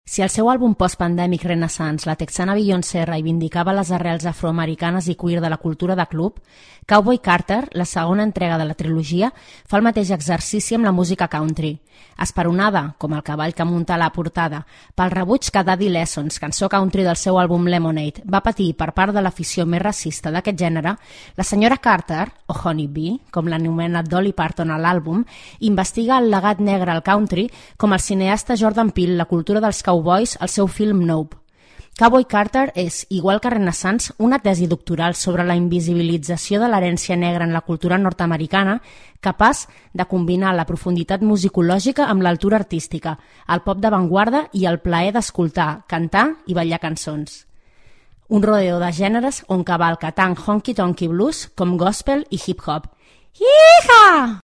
Si el seu àlbum post-pandèmic Renaissance, la texana Beyoncé reivindicava les arrels afroamericanes i queer de la cultura de club, Cowboy Carter, la segona entrega de la trilogia, fa el mateix exercici amb la música country. Esperonada, com el cavall que munta a la portada, pel rebuig que Daddy Lessons, cançó country del seu àlbum Lemonade, va patir per part de l'afició més racista d'aquest gènere, la senyora Carter, o Honey Bee, com l'anomena Dolly Parton a l'àlbum, investiga el legat negre al country com el cineasta Jordan Peele la cultura dels cowboys al seu film Nope. Cowboy Carter és, igual que Renaissance, una tesi doctoral sobre la invisibilització de l'herència negra en la cultura nord-americana, capaç de combinar la profunditat musicològica amb l'altura artística, el pop d'avantguarda i el plaer d'escoltar, cantar i ballar cançons. Un rodeo de gèneres on cavalca tant honky-tonky blues com gospel i hip-hop. Yeehaw!